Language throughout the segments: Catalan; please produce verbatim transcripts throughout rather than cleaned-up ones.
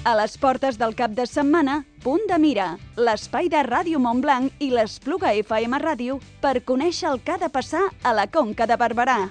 A les portes del cap de setmana, Punt de Mira, l'espai de Ràdio Montblanc i l'Espluga F M Ràdio per conèixer el que ha de passar a la Conca de Barberà.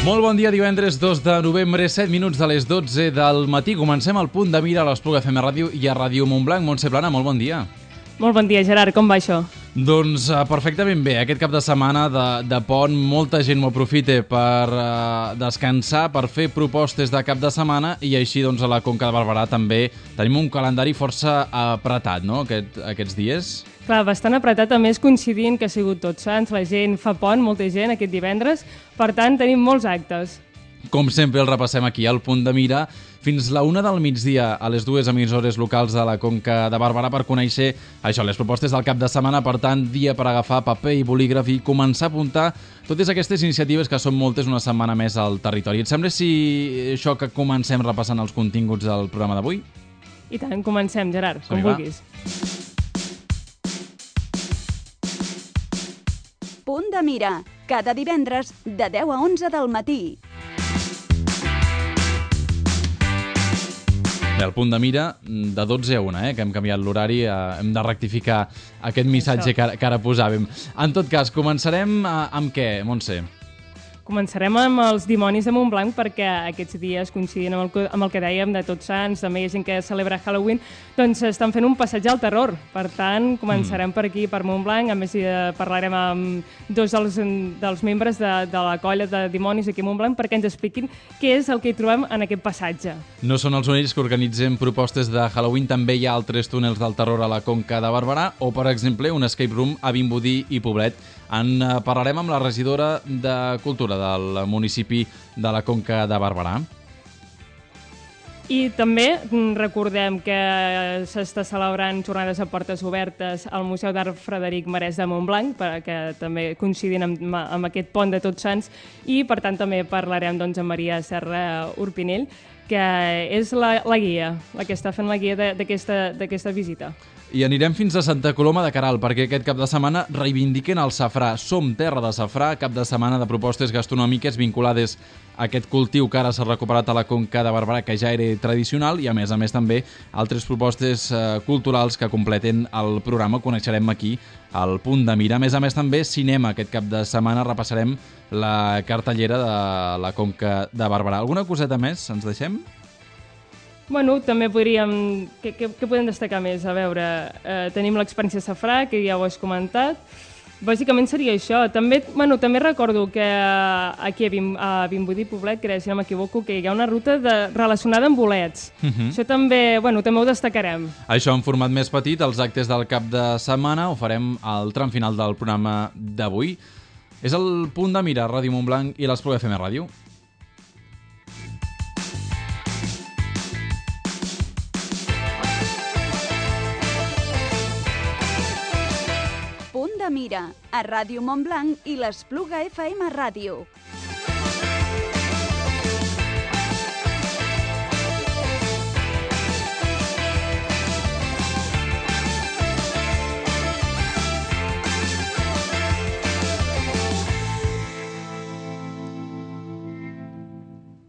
Molt bon dia, divendres dos de novembre, set minuts de les dotze del matí. Comencem el Punt de Mira a l'Espluga F M Ràdio i a Ràdio Montblanc. Montse Plana, molt bon dia. Molt bon dia, Gerard. Com va això? Doncs uh, perfectament bé. Aquest cap de setmana de, de pont, molta gent ho aprofita per uh, descansar, per fer propostes de cap de setmana i així doncs a la Conca de Barberà també tenim un calendari força apretat, no?, Aquest, aquests dies. Clar, bastant apretat, a més coincidint que ha sigut Tots Sants, la gent fa pont, molta gent aquest divendres, per tant tenim molts actes. Com sempre el repassem aquí al Punt de Mira fins la una del migdia a les dues emissores locals de la Conca de Barberà per conèixer això, les propostes del cap de setmana. Per tant, dia per agafar paper i bolígraf i començar a apuntar totes aquestes iniciatives que són moltes una setmana més al territori. Et sembla si això que comencem repassant els continguts del programa d'avui? I tant, comencem, Gerard, com vulguis. Punt de Mira, cada divendres de deu a onze del matí. Bé, el Punt de Mira de dotze a una, eh, que hem canviat l'horari, eh, hem de rectificar aquest missatge que ara, que ara posàvem. En tot cas, començarem eh, amb què, Montse? Començarem amb els dimonis de Montblanc perquè aquests dies coincidint amb el, amb el que dèiem de Tots Sants, també hi ha gent que celebra Halloween, doncs estan fent un passatge al terror. Per tant, començarem mm. per aquí, per Montblanc. A més, eh, parlarem amb dos dels, dels membres de, de la colla de dimonis aquí a Montblanc perquè ens expliquin què és el que hi trobem en aquest passatge. No són els únics que organitzem propostes de Halloween, també hi ha altres túnels del terror a la Conca de Barberà o, per exemple, un escape room a Vimbodí i Poblet. En parlarem amb la regidora de Cultura del municipi de la Conca de Barberà. I també recordem que s'està celebrant jornades a portes obertes al Museu d'Art Frederic Marès de Montblanc, perquè també coincidint amb, amb aquest pont de Tots Sants, i per tant també parlarem doncs, amb Maria Serra Urpinell, que és la, la guia, la que està fent la guia d'aquesta visita. I anirem fins a Santa Coloma de Queralt, perquè aquest cap de setmana reivindiquen el safrà. Som terra de safrà, cap de setmana de propostes gastronòmiques vinculades a aquest cultiu que ara s'ha recuperat a la Conca de Barberà, que ja era tradicional, i a més a més també altres propostes eh, culturals que completen el programa. Coneixerem aquí al Punt de Mira. A més a més també cinema. Aquest cap de setmana repassarem la cartellera de la Conca de Barberà. Alguna coseta més ens deixem? Bueno, també podríem... Què, què, què podem destacar més? A veure, eh, tenim l'experiència safrà, que ja ho has comentat. Bàsicament seria això. També, bueno, també recordo que aquí a, Bim, a Vimbodí Poblet, que si no m'equivoco, que hi ha una ruta de, relacionada amb bolets. Uh -huh. Això també, bueno, també ho destacarem. Això en format més petit, els actes del cap de setmana, ho farem al tram final del programa d'avui. És el Punt de Mira, Ràdio Montblanc i l'Espluga F M Ràdio. Punt de Mira, a Ràdio Montblanc i l'Espluga F M Ràdio.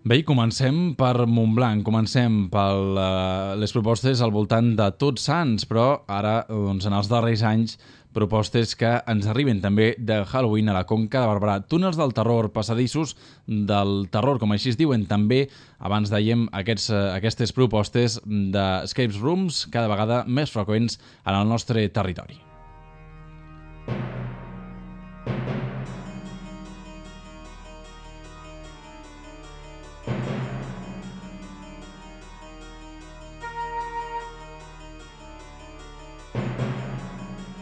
Bé, comencem per Montblanc, comencem per uh, les propostes al voltant de Tots Sants, però ara, doncs, en els darrers anys, propostes que ens arriben també de Halloween a la Conca de Barberà. Túnels del terror, passadissos del terror, com així es diuen. També, abans dèiem, aquests, aquestes propostes d'escape rooms cada vegada més freqüents en el nostre territori.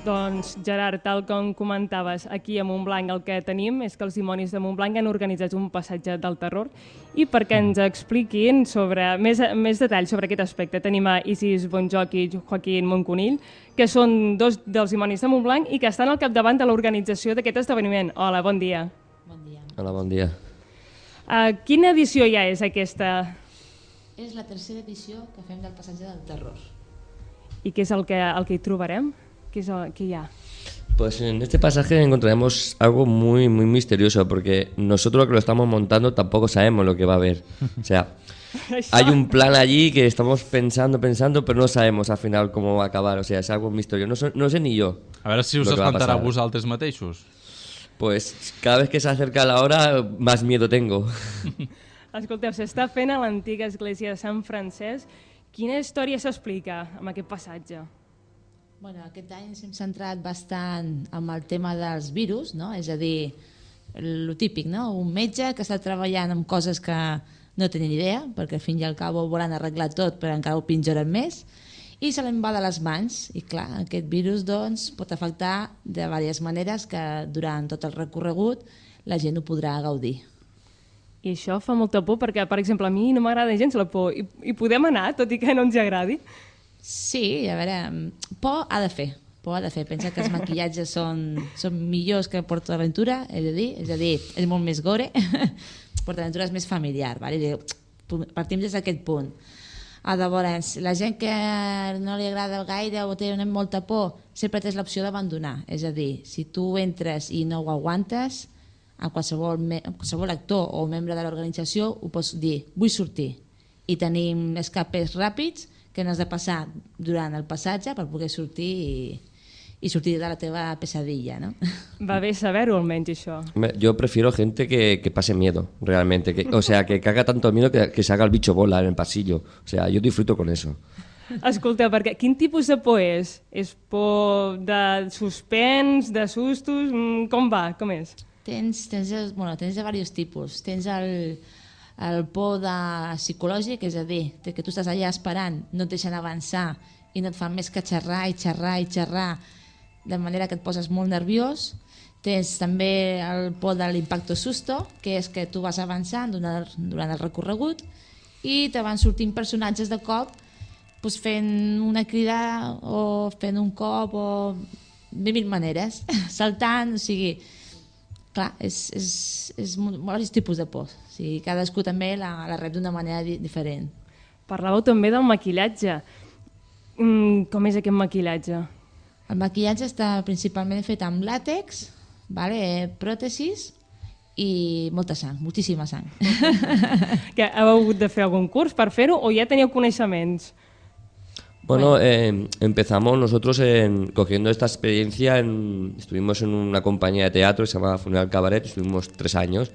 Doncs, Gerard, tal com comentaves, aquí a Montblanc el que tenim és que els dimonis de Montblanc han organitzat un passatge del terror i perquè ens expliquin sobre més, més detalls sobre aquest aspecte tenim a Isis Bonjoc i Joaquín Monconill, que són dos dels dimonis de Montblanc i que estan al capdavant de l'organització d'aquest esdeveniment. Hola, bon dia. Bon dia. Hola, bon dia. Uh, quina edició ja és aquesta? És la tercera edició que fem del passatge del terror. I què és el que, el que hi trobarem? ¿Qué, es, ¿Qué ya? Pues en este pasaje encontraremos algo muy, muy misterioso, porque nosotros que lo estamos montando tampoco sabemos lo que va a haber. O sea, hay un plan allí que estamos pensando, pensando, pero no sabemos al final cómo va a acabar. O sea, es algo misterioso. No, so, no sé ni yo. A veure si us espantarà a vosaltres mateixos. Pues cada vez que se acerca la hora, más miedo tengo. Escolteu, s'està fent a l'antiga església de Sant Francesc. Quina història s'explica amb aquest passatge? Bueno, aquest any ens hem centrat bastant amb el tema dels virus, no? És a dir, el típic, no? Un metge que està treballant amb coses que no tenen idea, perquè al fin i al cabo volen arreglar tot, però encara ho pitjoren més, i se l'en va de les mans. I clar, aquest virus doncs, pot afectar de diverses maneres que durant tot el recorregut la gent ho podrà gaudir. I això fa molta por, perquè, per exemple, a mi no m'agrada gens la por. I, i podem anar, tot i que no ens agradi? Sí, a veure, por ha de fer, por ha de fer. Pensa que els maquillatges són, són millors que PortAventura, he de dir, és a dir, és molt més gore. PortAventura és més familiar, vale? Partim des d'aquest punt. A llavors, la gent que no li agrada gaire o té molta por, sempre tens l'opció d'abandonar. És a dir, si tu entres i no ho aguantes, a qualsevol, qualsevol actor o membre de l'organització ho pots dir, vull sortir. I tenim escapes ràpids que no has de passar durant el passatge per poder sortir i, y sortir de la teva pesadilla, ¿no? Va bé saber-ho almenys això. Yo prefiero gente que, que pase miedo, realmente. Que, o sea, que, que haga tanto miedo que, que se haga el bicho bola en el pasillo. O sea, yo disfruto con eso. Escolteu, perquè quin tipus de por és? És por de suspens, de sustos? Com va? Com és? Tens, tens, bueno, tens de diversos tipus. Tens el, el por de psicològic, és a dir, que tu estàs allà esperant, no et deixen avançar i no et fan més que xerrar i xerrar i xerrar, de manera que et poses molt nerviós. Tens també el por de l'impacto susto, que és que tu vas avançant durant, durant el recorregut i te van sortint personatges de cop doncs fent una crida o fent un cop o de mil maneres, saltant, o sigui, clar, és, és, és molts tipus de por. O sigui, cadascú també la, la rep d'una manera di diferent. Parlàveu també del maquillatge. Mm, com és aquest maquillatge? El maquillatge està principalment fet amb làtex, vale, pròtesis i molta sang, moltíssima sang. Que heu hagut de fer algun curs per fer-ho o ja teníeu coneixements? Bueno, eh, empezamos nosotros en, cogiendo esta experiencia, en, estuvimos en una compañía de teatro que se llama Funeral Cabaret, estuvimos tres años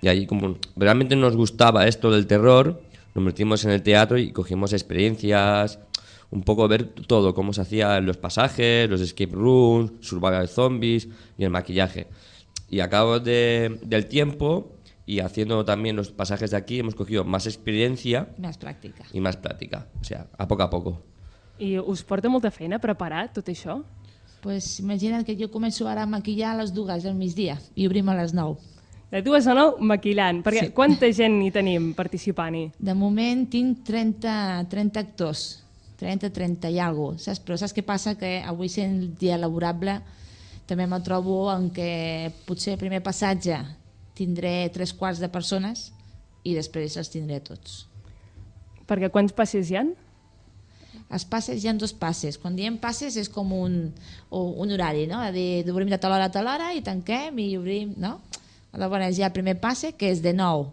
y ahí como realmente nos gustaba esto del terror, nos metimos en el teatro y cogimos experiencias, un poco ver todo, cómo se hacían los pasajes, los escape rooms, survival zombies y el maquillaje. Y a cabo de, del tiempo y haciendo también los pasajes de aquí hemos cogido más experiencia más práctica. y más práctica, o sea, a poco a poco. I us porta molta feina preparar tot això? Pues imagina't que jo començo ara a maquillar a les dues del migdia i obrim a les nou. De dues a nou maquillant, perquè Sí. quanta gent hi tenim participant-hi? De moment tinc trenta, trenta actors, trenta, trenta i alguna cosa, saps? Però saps què passa? Que avui sent el dia laborable també me trobo en què potser el primer passatge tindré tres quarts de persones i després els tindré tots. Perquè quants passes hi ha? Els passes hi ha dos passes. Quan diem passes és com un, un horari, no? A dir, obrim de tal hora a tal hora i tanquem i obrim, no? Llavors hi ha el primer passe que és de nou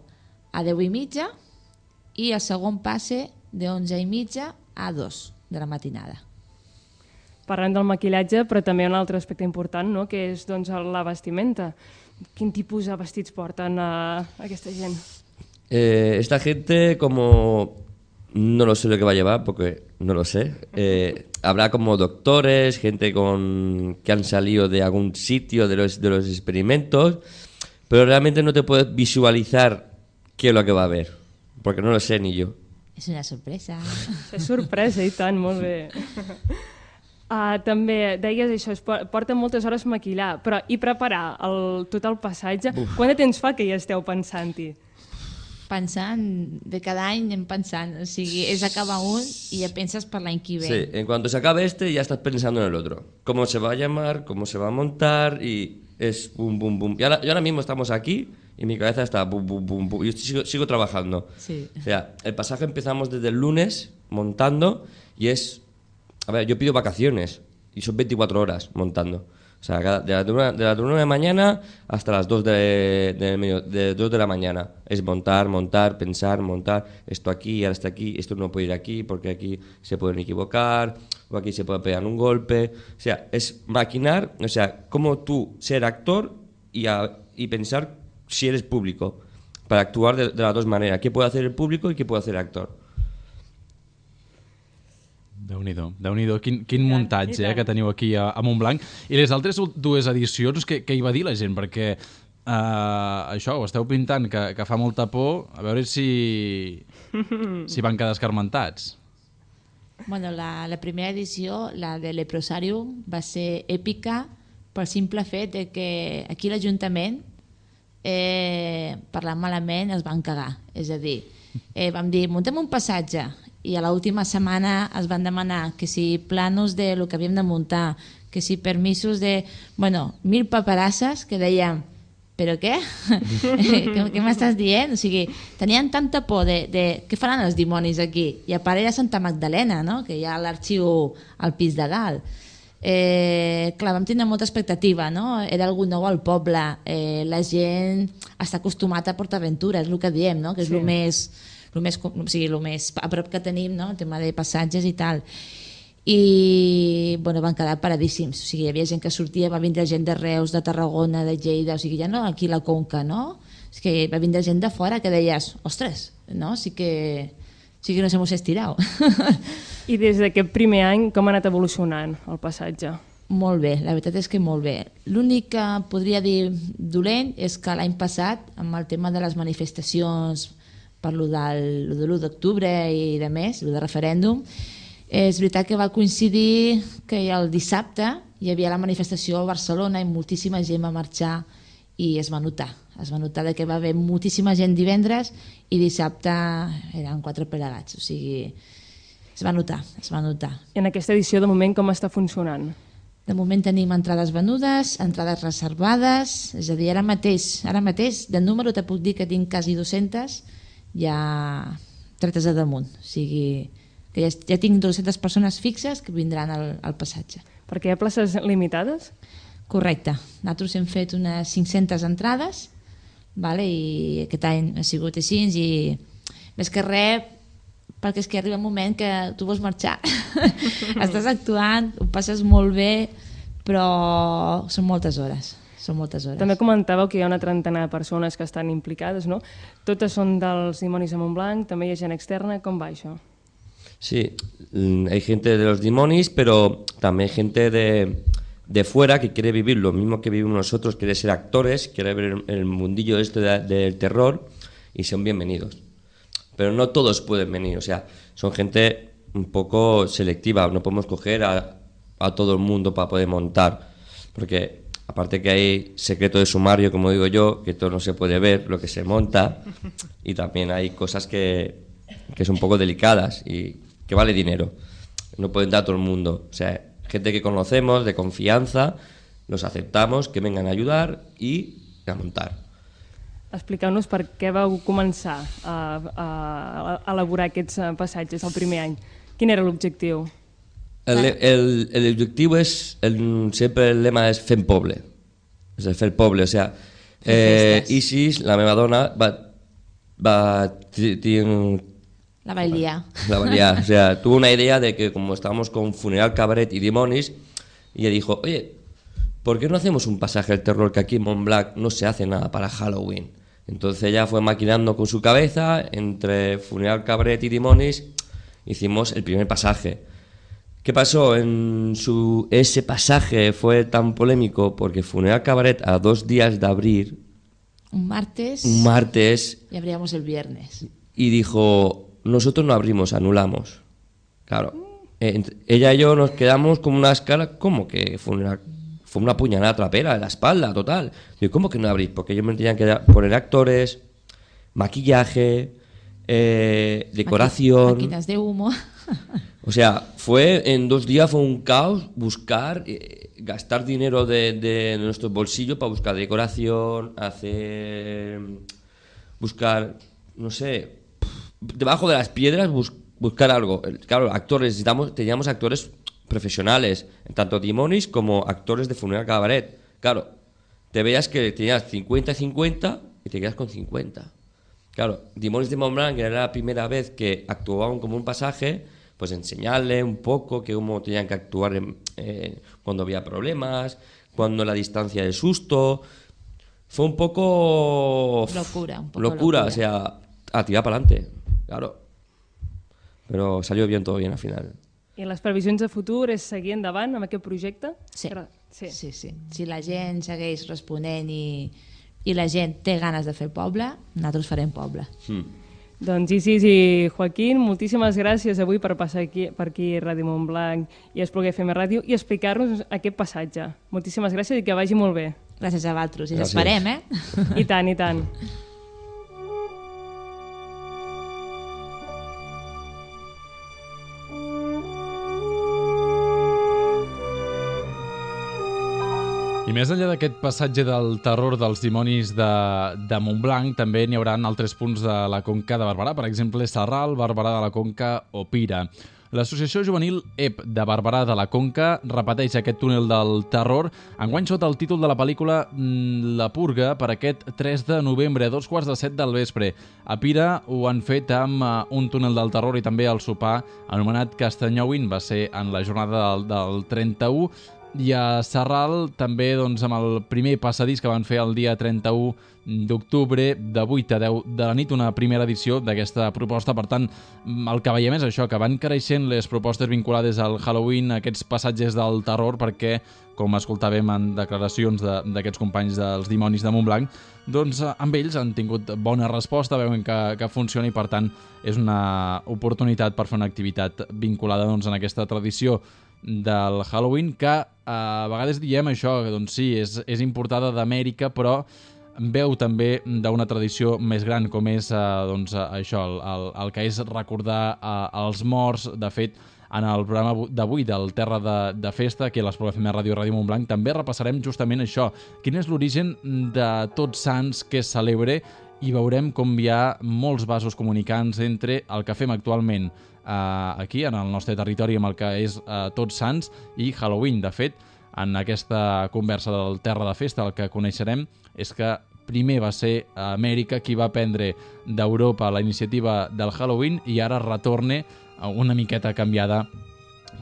a deu i mitja i el segon passe de onze i mitja a dos de la matinada. Parlant del maquillatge, però també un altre aspecte important, no? Que és doncs, la vestimenta. Quin tipus de vestits porten a aquesta gent? Eh, esta gente como... No lo sé lo que va a llevar porque no lo sé. Eh, habrá como doctores, gente con que han salido de algún sitio de los, de los experimentos, pero realmente no te puedes visualizar qué es lo que va a haber, porque no lo sé ni yo. És una sorpresa. És sorpresa, i tant, molt bé. Uh, també deies això, es porten moltes hores maquillar, però i preparar el, tot el passatge, Uf. quant de temps fa que hi esteu pensant-hi? Pensant, de cada any anem pensant, o sigui, és acabar un i ja penses per l'any que ve. Sí, en cuanto se acabe este ya estás pensando en el otro. Cómo se va a llamar, cómo se va a montar y es bum, bum, bum. Y ahora, y ahora mismo estamos aquí y mi cabeza está bum, bum, bum, bum. Yo sigo, sigo trabajando. Sí. O sea, el pasaje empezamos desde el lunes montando y es... A ver, yo pido vacaciones y son veinticuatro horas montando. O sea, de la una de, la una de mañana hasta las dos de, de, medio, de, dos de la mañana. Es montar, montar, pensar, montar. Esto aquí, ahora está aquí, esto no puede ir aquí porque aquí se pueden equivocar o aquí se puede pegar un golpe. O sea, es maquinar, o sea, cómo tú ser actor y, a, y pensar si eres público. Para actuar de, de las dos maneras. ¿Qué puede hacer el público y qué puede hacer el actor? Déu-n'hi-do, Déu-n'hi-do, quin, quin muntatge eh, que teniu aquí a, a Montblanc. I les altres dues edicions, què, què hi va dir la gent? Perquè uh, això, ho esteu pintant, que, que fa molta por, a veure si, si van quedar escarmentats. Bueno, la, la primera edició, la de Leprosarium, va ser èpica pel simple fet de que aquí l'Ajuntament, eh, parlant malament, es van cagar. És a dir, eh, vam dir, muntem un passatge, i a l'última setmana es van demanar que si planos de lo que havíem de muntar, que si permisos de... Bueno, mil paperasses que dèiem, però què? què què m'estàs dient? O sigui, tenien tanta por de, de què faran els dimonis aquí? I a part era Santa Magdalena, no? Que hi ha l'arxiu al pis de dalt. Eh, clar, vam tenir molta expectativa, no? Era algú nou al poble, eh, la gent està acostumada a PortAventura, és el que diem, no? Que és sí. el més... el més, o sigui, el més a prop que tenim, no? El tema de passatges i tal. I bueno, van quedar paradíssims. O sigui, hi havia gent que sortia, va vindre gent de Reus, de Tarragona, de Lleida, o sigui, ja no aquí la Conca, no? És que va vindre gent de fora que deies, ostres, no? Sí que, sí que nos hemos estirado. I des d'aquest primer any, com ha anat evolucionant el passatge? Molt bé, la veritat és que molt bé. L'únic que podria dir dolent és que l'any passat, amb el tema de les manifestacions per lo del, lo de l'u d'octubre i de més, lo de referèndum, és veritat que va coincidir que el dissabte hi havia la manifestació a Barcelona i moltíssima gent va marxar i es va notar. Es va notar que va haver moltíssima gent divendres i dissabte eren quatre plegats. O sigui, es va notar, es va notar. I en aquesta edició, de moment, com està funcionant? De moment tenim entrades venudes, entrades reservades, és a dir, ara mateix, ara mateix de número te puc dir que tinc quasi dues-centes, ja tretes a damunt, o sigui que ja, ja tinc dues-centes persones fixes que vindran al, al passatge. Perquè hi ha places limitades? Correcte, nosaltres hem fet unes cinc-centes entrades, vale? I aquest any ha sigut així i més que res perquè és que arriba un moment que tu vols marxar estàs actuant, ho passes molt bé però són moltes hores. Són moltes hores. També comentàveu que hi ha una trentena de persones que estan implicades, ¿no? Totes són dels Dimonis de Montblanc, també hi ha gent externa, ¿com va això? Sí, hay gente de los Dimonis, pero también hay gente de, de fuera que quiere vivir lo mismo que vivimos nosotros, quiere ser actores, quiere ver el mundillo este de, del terror y son bienvenidos. Pero no todos pueden venir, o sea, son gente un poco selectiva, no podemos coger a, a todo el mundo para poder montar, porque... Aparte que hay secreto de sumario, como digo yo, que todo no se puede ver, lo que se monta, y también hay cosas que, que son un poco delicadas y que vale dinero. No pueden dar a todo el mundo. O sea, gente que conocemos, de confianza, los aceptamos, que vengan a ayudar y a montar. Expliqueu-nos per què vau començar a, a, a elaborar aquests passatges el primer any. Quin era l'objectiu? El, el, el objetivo es, el, siempre el lema es Fem Poble, es el Fer Poble, o sea, eh, Isis, la meva dona, va, va tiene, la va liar. La va liar, o sea, tuvo una idea de que como estábamos con Funeral Cabaret y Dimonis, ella dijo, oye, ¿por qué no hacemos un pasaje del terror que aquí en Montblanc no se hace nada para Halloween? Entonces ella fue maquinando con su cabeza, entre Funeral Cabaret y Dimonis, hicimos el primer pasaje. ¿Qué pasó? En su, ese pasaje fue tan polémico porque Funeral Cabaret a dos días de abrir... Un martes... Un martes... Y abríamos el viernes. Y dijo, nosotros no abrimos, anulamos. Claro, eh, ella y yo nos quedamos con una escala como que fue una, fue una puñalada trapera en la espalda, total. Digo, ¿cómo que no abrís? Porque ellos me tenían que poner actores, maquillaje, eh, decoración... Maqui- máquinas de humo. O sea, fue en dos días fue un caos buscar, eh, gastar dinero de, de nuestro bolsillo para buscar decoración, hacer, buscar, no sé, debajo de las piedras bus, buscar algo. Claro, actores, necesitamos, teníamos actores profesionales, tanto Dimonis como actores de Funeral Cabaret. Claro, te veías que tenías cincuenta cincuenta y te quedas con cincuenta. Claro, Dimonis de Montblanc, que era la primera vez que actuaban como un pasaje, pues enseñarle un poco que cómo tenían que actuar en, eh, cuando había problemas, cuando la distancia del susto. Fue un poco... Locura, un poco locura, locura. O sea, a tirar para adelante, claro. Pero salió bien, todo bien al final. I les previsions de futur és seguir endavant amb aquest projecte? Sí. Sí. Sí, sí. Si la gent segueix responent i, i la gent té ganes de fer poble, nosaltres farem poble. Mm. Doncs Isis i Joaquín, moltíssimes gràcies avui per passar aquí, per aquí a Ràdio Montblanc i a Espluga F M Ràdio i explicar-nos aquest passatge. Moltíssimes gràcies i que vagi molt bé. Gràcies a vosaltres. I Gràcies. esperem, eh? I tant, i tant. I més enllà d'aquest passatge del terror dels dimonis de, de Montblanc, també n'hi haurà altres punts de la Conca de Barberà, per exemple, Sarral, Barberà de la Conca o Pira. L'associació juvenil E P de Barberà de la Conca repeteix aquest túnel del terror, enguany sota el títol de la pel·lícula La Purga, per aquest tres de novembre, a dos quarts de set del vespre. A Pira ho han fet amb uh, un túnel del terror i també el sopar anomenat Castanyowin, va ser en la jornada del, del trenta-u, i a Sarral també doncs, amb el primer passadís que van fer el dia trenta-u d'octubre de vuit a deu de la nit, una primera edició d'aquesta proposta. Per tant, el que veiem és això, que van creixent les propostes vinculades al Halloween, aquests passatges del terror, perquè, com escoltàvem en declaracions d'aquests de, companys dels Dimonis de Montblanc, doncs amb ells han tingut bona resposta, veuen que, que funciona i per tant és una oportunitat per fer una activitat vinculada doncs, en aquesta tradició del Halloween, que a vegades diem això, que doncs sí, és, és importada d'Amèrica, però veu també d'una tradició més gran, com és eh, doncs, això, el, el, el que és recordar eh, els morts. De fet, en el programa d'avui del Terra de, de Festa, aquí a l'Espluga F M Ràdio Ràdio Montblanc, també repassarem justament això, quin és l'origen de Tots Sants que es celebre, i veurem com hi ha molts vasos comunicants entre el que fem actualment Uh, aquí, en el nostre territori, amb el que és uh, Tots Sants i Halloween. De fet, en aquesta conversa del Terra de Festa, el que coneixerem és que primer va ser Amèrica qui va prendre d'Europa la iniciativa del Halloween i ara retorne uh, una miqueta canviada,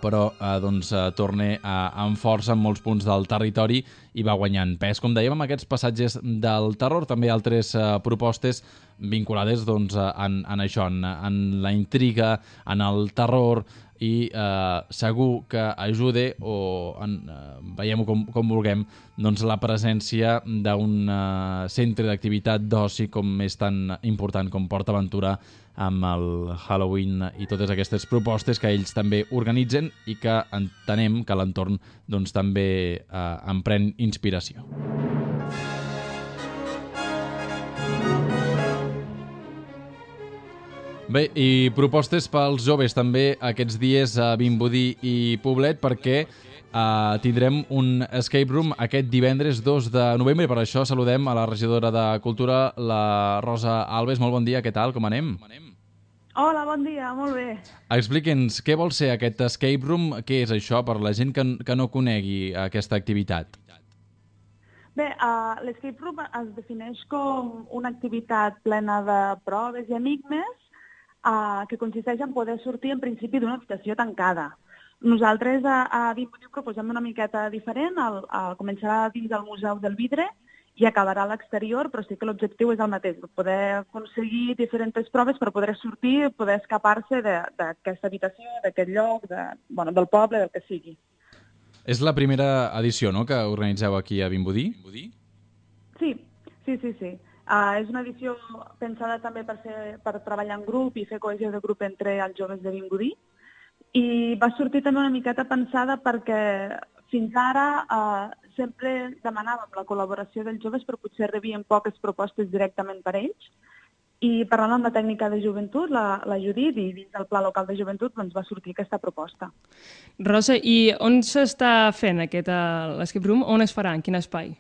però eh, doncs, eh, torna eh, amb força en molts punts del territori i va guanyant pes. Com dèiem, amb aquests passatges del terror, també altres eh, propostes vinculades doncs, en, en això, en, en la intriga, en el terror, i eh, segur que ajude, o en, eh, veiem-ho com, com vulguem, doncs la presència d'un eh, centre d'activitat d'oci com és tan important com PortAventura, amb el Halloween i totes aquestes propostes que ells també organitzen i que entenem que l'entorn doncs, també eh, en pren inspiració. Bé, i propostes pels joves també aquests dies a Vimbodí i Poblet, perquè uh, tindrem un escape room aquest divendres dos de novembre. Per això saludem a la regidora de Cultura, la Rosa Alves. Molt bon dia, què tal, com anem? Hola, bon dia, molt bé. Expliqui'ns, què vol ser aquest escape room? Què és això per la gent que, que no conegui aquesta activitat? Bé, uh, l'escape room es defineix com una activitat plena de proves i enigmes Uh, que consisteix en poder sortir en principi d'una habitació tancada. Nosaltres a, a Vimbodí proposem una miqueta diferent, el, el, començarà dins del Museu del Vidre i acabarà a l'exterior, però sí que l'objectiu és el mateix, poder aconseguir diferents proves per poder sortir, poder escapar-se d'aquesta habitació, d'aquest lloc, de, bueno, del poble, del que sigui. És la primera edició, no?, que organitzeu aquí a Vimbodí? Sí, sí, sí, sí. Uh, és una edició pensada també per, ser, per treballar en grup i fer cohesió de grup entre els joves de Vimbodí, I va sortir també una miqueta pensada perquè fins ara eh, sempre demanàvem la col·laboració dels joves, però potser rebien poques propostes directament per ells. I parlant amb la tècnica de joventut, la, la Judit, i dins del Pla Local de Joventut doncs va sortir aquesta proposta. Rosa, i on s'està fent aquest uh, l'escape room? On es farà? En quin espai?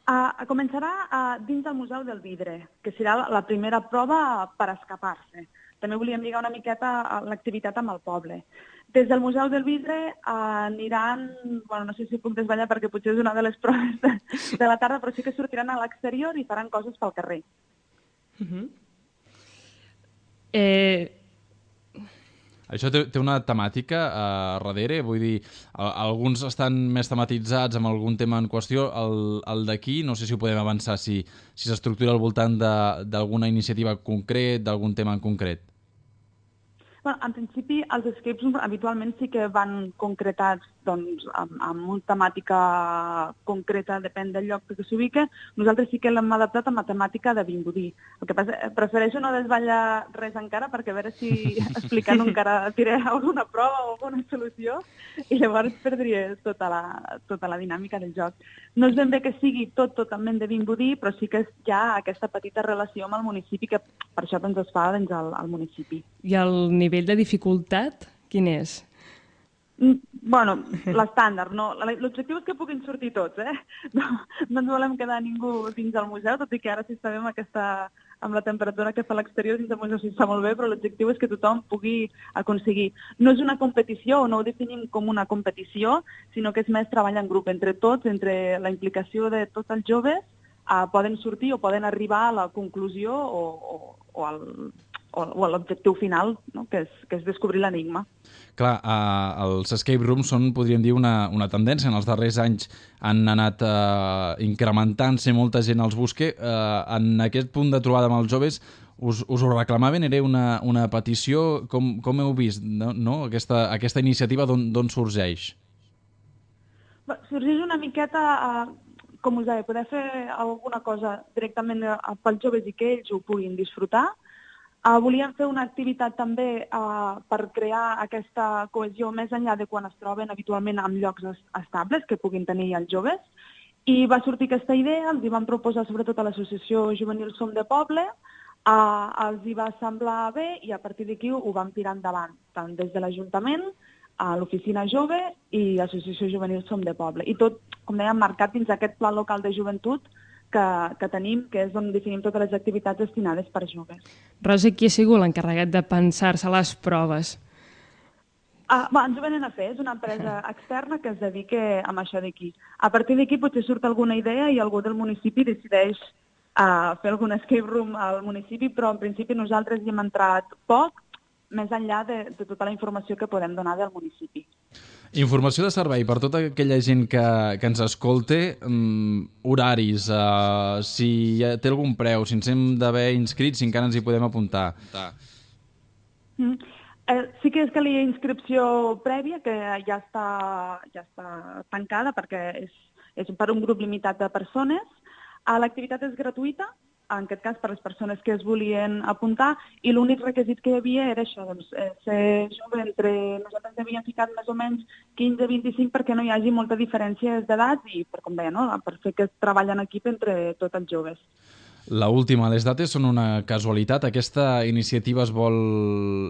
Uh, començarà uh, dins del Museu del Vidre, que serà la, la primera prova per escapar-se. També volíem lligar una miqueta l'activitat amb el poble. Des del Museu del Vidre uh, aniran, bueno, no sé si puc desvetllar perquè potser és una de les proves de, de la tarda, però sí que sortiran a l'exterior i faran coses pel carrer. Uh-huh. Eh... Això té, té una temàtica a uh, darrere, vull dir, a, alguns estan més tematitzats amb algun tema en qüestió, el, el d'aquí, no sé si ho podem avançar, si, si s'estructura al voltant d'alguna iniciativa concret, d'algun tema en concret. Bueno, en principi, els escape rooms habitualment sí que van concretats doncs, amb, amb una temàtica concreta, depèn del lloc que s'ubica. Nosaltres sí que l'hem adaptat a temàtica de Vimbodí. El que passa, prefereixo no desvetllar res encara perquè a veure si explicant encara tiré alguna prova o alguna solució i llavors perdria tota la, tota la dinàmica del joc. No és ben bé que sigui tot totalment de Vimbodí, però sí que hi ha aquesta petita relació amb el municipi que per això doncs, es fa dins el, el municipi. I el nivell de dificultat, quin és? Bueno, l'estàndard, no. L'objectiu és que puguin sortir tots, eh? No, no ens volem quedar ningú dins del museu, tot i que ara sí sabem aquesta, amb la temperatura que fa a l'exterior dins del museu sí està molt bé, però l'objectiu és que tothom pugui aconseguir. No és una competició, no ho definim com una competició, sinó que és més treball en grup entre tots, entre la implicació de tots els joves, eh, poden sortir o poden arribar a la conclusió o, o, o al... o a l'objectiu final, no? que, és, que és descobrir l'enigma. Clar, eh, els escape rooms són, podríem dir, una, una tendència. En els darrers anys han anat eh, incrementant-se, molta gent els busca. Eh, en aquest punt de trobada amb els joves, us, us ho reclamaven? Era una, una petició? Com, com heu vist no? No? Aquesta, aquesta iniciativa d'on sorgeix? Sorgeix una miqueta, eh, com us deia, poder fer alguna cosa directament pels joves i que ells ho puguin disfrutar. Uh, volíem fer una activitat també uh, per crear aquesta cohesió més enllà de quan es troben habitualment en llocs estables que puguin tenir els joves. I va sortir aquesta idea, els hi vam proposar sobretot a l'Associació Juvenil Som de Poble, uh, els hi va semblar bé i a partir d'aquí ho vam tirar endavant, tant des de l'Ajuntament, a l'Oficina Jove i l'Associació Juvenil Som de Poble. I tot, com dèiem, marcat dins aquest Pla Local de Joventut Que, que tenim, que és on definim totes les activitats destinades per joves. Rosa, qui ha sigut l'encarregat de pensar-se les proves? Uh, bueno, ens ho venen a fer, és una empresa externa que es dedica a això d'aquí. A partir d'aquí potser surt alguna idea i algú del municipi decideix uh, fer algun escape room al municipi, però en principi nosaltres hi hem entrat poc, més enllà de, de tota la informació que podem donar del municipi. Informació de servei per tota aquella gent que, que ens escolte, um, horaris, uh, si té algun preu, si ens hem d'haver inscrits, si encara ens hi podem apuntar. Mm. Eh, sí que és que hi ha inscripció prèvia, que ja està, ja està tancada perquè és, és per un grup limitat de persones. Uh, L'activitat és gratuïta, en aquest cas per les persones que es volien apuntar, i l'únic requisit que hi havia era això, doncs, eh, ser jove entre... Nosaltres havíem ficat més o menys quinze a vint-i-cinc perquè no hi hagi molta diferència d'edat i, per com deia, no? per fer aquest treball en equip entre tots els joves. La última, les dates són una casualitat. Aquesta iniciativa es vol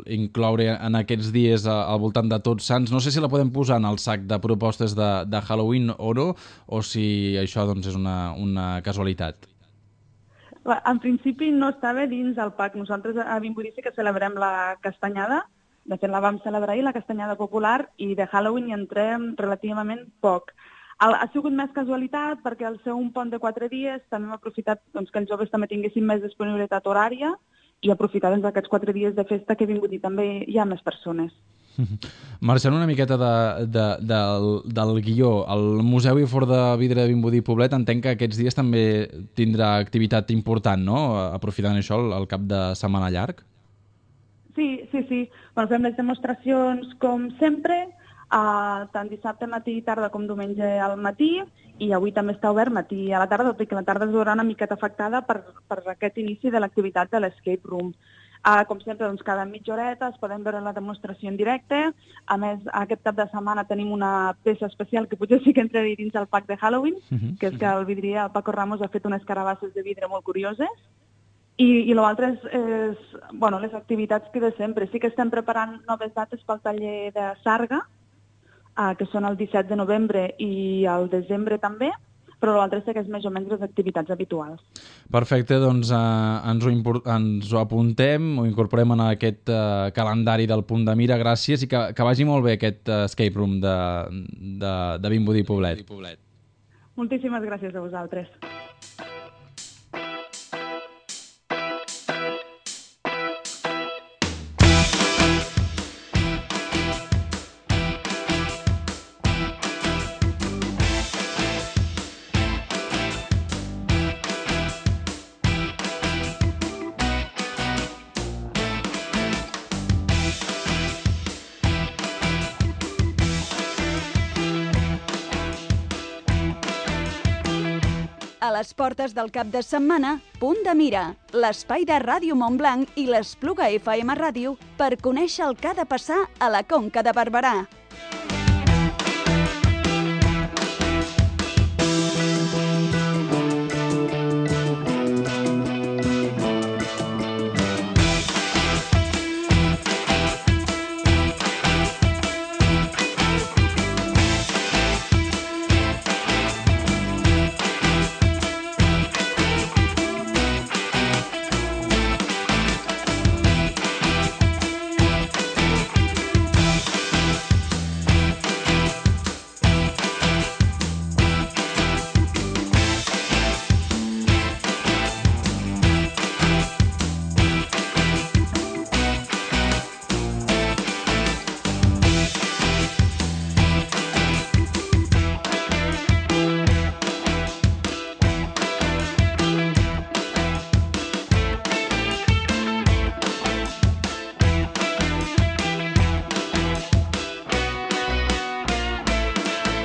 incloure en aquests dies al voltant de Tots Sants. No sé si la podem posar en el sac de propostes de, de Halloween o no, o si això doncs, és una, una casualitat. En principi no estava dins el P A C. Nosaltres a Vimbodí sí que celebrem la castanyada. De fet, la vam celebrar ahir, la castanyada popular, i de Halloween hi entrem relativament poc. Ha sigut més casualitat perquè al ser un pont de quatre dies també hem aprofitat doncs, que els joves també tinguessin més disponibilitat horària i aprofitar doncs, aquests quatre dies de festa que a Vimbodí també hi ha més persones. Marxant una miqueta de, de, de, del guió, el Museu i Fort de Vidre de Vimbodí Poblet entenc que aquests dies també tindrà activitat important, no? Aprofitant això el, el cap de setmana llarg. Sí, sí, sí. Bueno, fem les demostracions com sempre, uh, tant dissabte matí i tarda com diumenge al matí, i avui també està obert matí a la tarda, tot i que la tarda es veurà una miqueta afectada per, per aquest inici de l'activitat de l'escape room. Uh, com sempre, doncs, cada mitja horeta es podem veure la demostració en directe. A més, aquest cap de setmana tenim una peça especial que potser sí que entraria dins el pack de Halloween, uh-huh. que és que el vidrier, el Paco Ramos, ha fet unes carabasses de vidre molt curioses. I, i l'altre és, és bueno, les activitats que de sempre. Sí que estem preparant noves dates pel taller de Sarga, uh, que són el disset de novembre i el desembre també, però l'altre sí que és més o menys les activitats habituals. Perfecte, doncs eh, ens, ho impor- ens ho apuntem, ho incorporem en aquest eh, calendari del Punt de Mira, gràcies, i que, que vagi molt bé aquest eh, escape room de, de, de Vimbodí Poblet. Moltíssimes gràcies a vosaltres. A les portes del cap de setmana, Punt de Mira, l'espai de Ràdio Montblanc i l'Espluga F M Ràdio per conèixer el que ha de passar a la Conca de Barberà.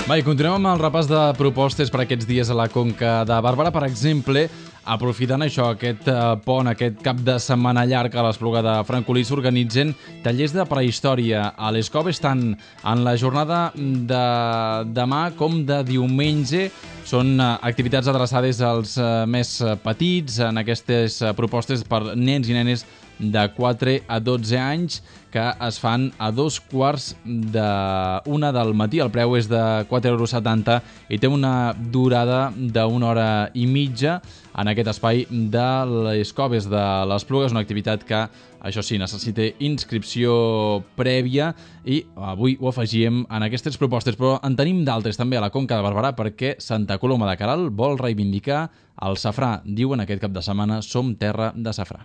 Va, i continuem amb el repàs de propostes per aquests dies a la Conca de Barberà. Per exemple, aprofitant això, aquest eh, pont, aquest cap de setmana llarg a l'Espluga de Francolí, s'organitzen tallers de prehistòria a les coves, tant en la jornada de demà com de diumenge. Són eh, activitats adreçades als eh, més petits, en aquestes eh, propostes per nens i nenes de quatre a dotze anys, que es fan a dos quarts d'una del matí. El preu és de quatre euros setanta i té una durada d'una hora i mitja en aquest espai de les coves de l'Espluga. És una activitat que, això sí, necessita inscripció prèvia i avui ho afegíem en aquestes propostes, però en tenim d'altres també a la Conca de Barberà perquè Santa Coloma de Queralt vol reivindicar el safrà. Diuen aquest cap de setmana: som terra de safrà.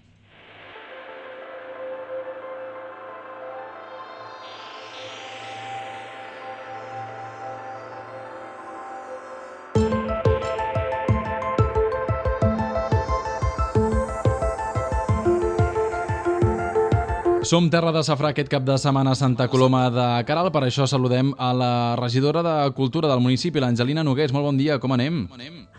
Som terra de safrà aquest cap de setmana a Santa Coloma de Queralt. Per això saludem a la regidora de Cultura del municipi, l'Angelina Nogués. Molt bon dia, com anem?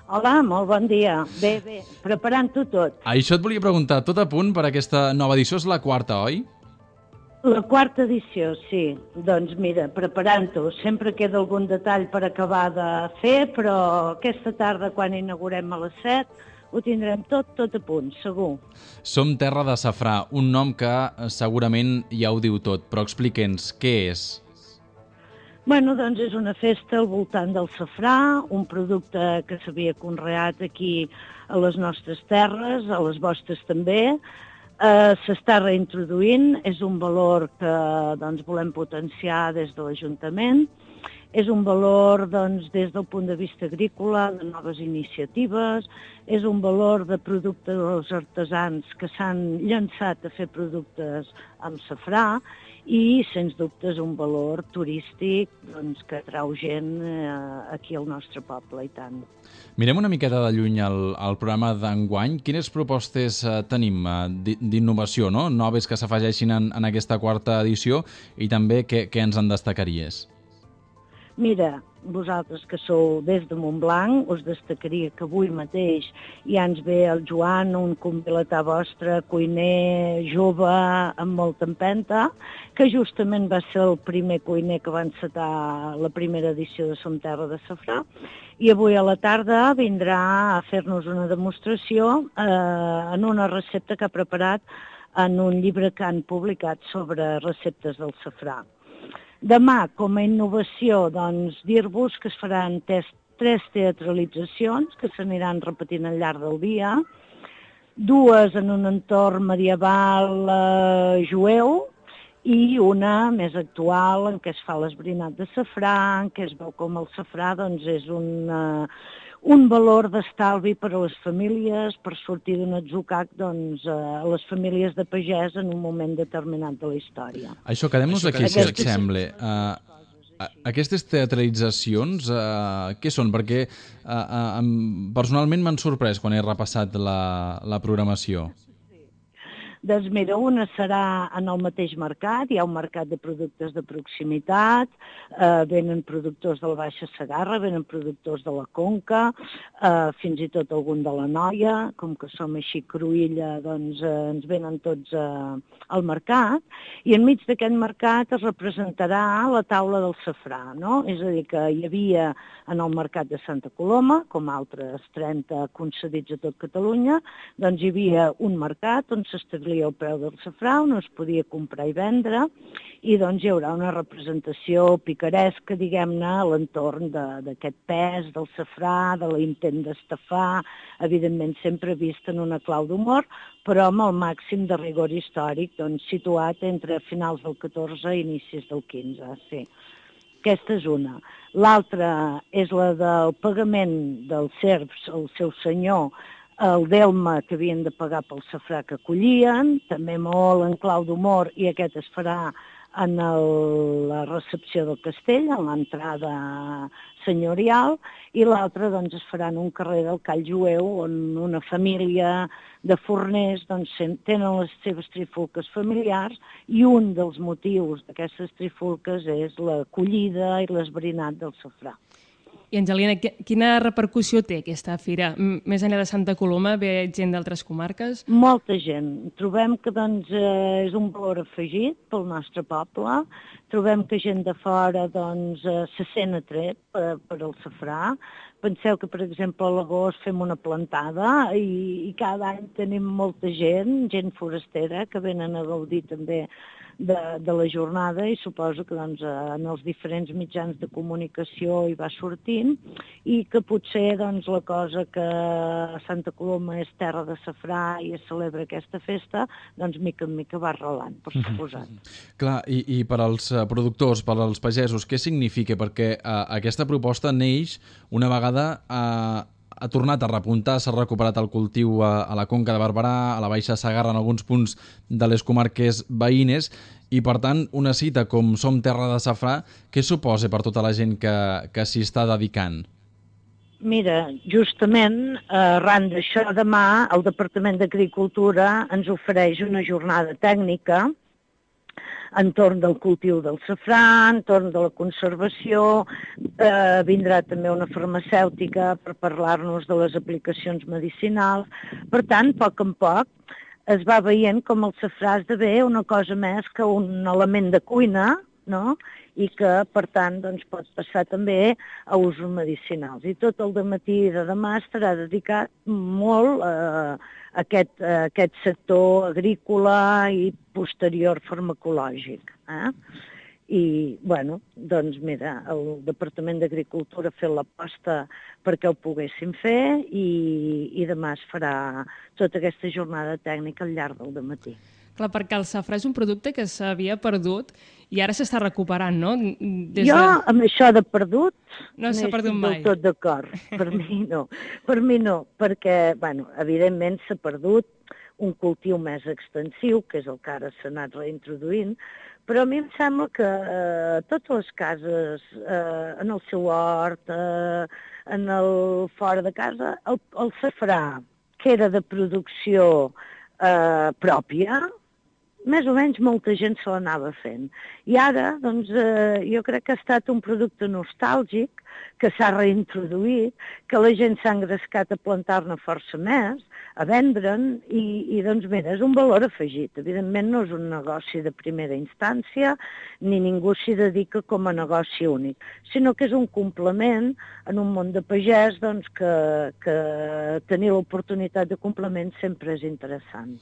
Hola, molt bon dia. Bé, bé, preparant-ho tot. Això et volia preguntar, tot a punt per aquesta nova edició? És la quarta, oi? La quarta edició, sí. Doncs mira, preparant-ho. Sempre queda algun detall per acabar de fer, però aquesta tarda, quan inaugurem a les set, ho tindrem tot, tot a punt, segur. Som terra de safrà, un nom que segurament ja ho diu tot, però explica'ns, què és? Bueno, doncs és una festa al voltant del safrà, un producte que s'havia conreat aquí a les nostres terres, a les vostres també. Eh, s'està reintroduint, és un valor que doncs, volem potenciar des de l'Ajuntament. És un valor doncs, des del punt de vista agrícola, de noves iniciatives, és un valor de productes dels artesans que s'han llançat a fer productes amb safrà i, sens dubte, és un valor turístic doncs, que atrau gent eh, aquí al nostre poble, i tant. Mirem una miqueta de lluny el, el programa d'enguany. Quines propostes eh, tenim eh, d'innovació, no? Noves que s'afegeixin en, en aquesta quarta edició, i també què, què ens en destacaries? Mira, vosaltres que sou des de Montblanc, us destacaria que avui mateix ja ens ve el Joan, un convilatà vostre, cuiner jove, amb molta empenta, que justament va ser el primer cuiner que va encetar la primera edició de Som Terra de Safrà, i avui a la tarda vindrà a fer-nos una demostració eh, en una recepta que ha preparat en un llibre que han publicat sobre receptes del safrà. Demà, com a innovació, doncs, dir-vos que es faran tres, tres teatralitzacions que s'aniran repetint al llarg del dia, dues en un entorn medieval eh, jueu i una més actual en què es fa l'esbrinat de safrà, en què es veu com el safrà doncs, és un, eh, un valor d'estalvi per a les famílies, per sortir d'un atzucac doncs, a les famílies de pagès en un moment determinat de la història. Això, quedem-nos aquí, si et sembla. Uh, aquestes teatralitzacions, uh, què són? Perquè uh, uh, personalment m'han sorprès quan he repassat la, la programació. Doncs mira, una serà en el mateix mercat, hi ha un mercat de productes de proximitat, eh, venen productors de la Baixa Segarra, venen productors de la Conca, eh, fins i tot algun de la Noia, com que som així cruïlla, doncs eh, ens venen tots eh, al mercat, i enmig d'aquest mercat es representarà la taula del safrà, no? És a dir, que hi havia en el mercat de Santa Coloma, com altres trenta concedits a tot Catalunya, doncs hi havia un mercat on s'establia el preu del safrà, on es podia comprar i vendre, i doncs hi haurà una representació picaresca, diguem-ne, a l'entorn d'aquest pes del safrà, de l'intent d'estafar, evidentment sempre vist en una clau d'humor, però amb el màxim de rigor històric, doncs situat entre finals del catorze i inicis del quinze, sí. Aquesta és una. L'altra és la del pagament dels serfs al seu senyor, el delme que havien de pagar pel safrà que collien, també molt en clau d'humor, i aquest es farà en el, la recepció del castell, en l'entrada senyorial, i l'altre doncs, es farà en un carrer del Call Jueu, on una família de forners doncs, tenen les seves trifulques familiars, i un dels motius d'aquestes trifulques és la collida i l'esbrinat del safrà. I, Angelina, quina repercussió té aquesta fira? Més enllà de Santa Coloma, ve gent d'altres comarques? Molta gent. Trobem que doncs, eh, és un valor afegit pel nostre poble. Trobem que gent de fora doncs, eh, se sent atret per, per el safrà. Penseu que, per exemple, a l'agost fem una plantada i, i cada any tenim molta gent, gent forastera, que venen a gaudir també de, de la jornada, i suposo que doncs, en els diferents mitjans de comunicació hi va sortint, i que potser doncs, la cosa que a Santa Coloma és terra de safrà i es celebra aquesta festa, doncs mica en mica va arrelant, per suposat. Clar, i, i per als productors, per als pagesos, què significa? Perquè uh, aquesta proposta neix una vegada uh, ha tornat a repuntar, s'ha recuperat el cultiu a, a la Conca de Barberà, a la Baixa Segarra, en alguns punts de les comarques veïnes, i per tant una cita com Som Terra de Safrà, què suposa per tota la gent que, que s'hi està dedicant? Mira, justament arran d'això, demà el Departament d'Agricultura ens ofereix una jornada tècnica entorn del cultiu del safrà, entorn de la conservació, eh, vindrà també una farmacèutica per parlar-nos de les aplicacions medicinals. Per tant, a poc en poc es va veient com el safrà esdevé una cosa més que un element de cuina, no? I que, per tant, doncs, pot passar també a usos medicinals. I tot el dematí de demà estarà dedicat molt a aquest, a aquest sector agrícola i posterior farmacològic. Eh? I, bueno, doncs mira, el Departament d'Agricultura ha fet l'aposta perquè ho poguessin fer i, i demà es farà tota aquesta jornada tècnica al llarg del dematí. Clar, perquè el safrà és un producte que s'havia perdut i ara s'està recuperant, no? Des jo, de... amb això de perdut, no s'ha perdut mai. No estic del tot d'acord. Per mi no. Per mi no, perquè, bueno, evidentment s'ha perdut un cultiu més extensiu, que és el que ara s'ha anat reintroduint, però a mi em sembla que eh, totes les cases, eh, en el seu hort, eh, en el fora de casa, el, el safrà, que era de producció eh, pròpia, més o menys molta gent se l'anava fent. I ara, doncs, eh, jo crec que ha estat un producte nostàlgic, que s'ha reintroduït, que la gent s'ha engrescat a plantar-ne força més, a vendre'n, i, i doncs mira, és un valor afegit. Evidentment no és un negoci de primera instància, ni ningú s'hi dedica com a negoci únic, sinó que és un complement en un món de pagès, doncs, que, que tenir l'oportunitat de complement sempre és interessant.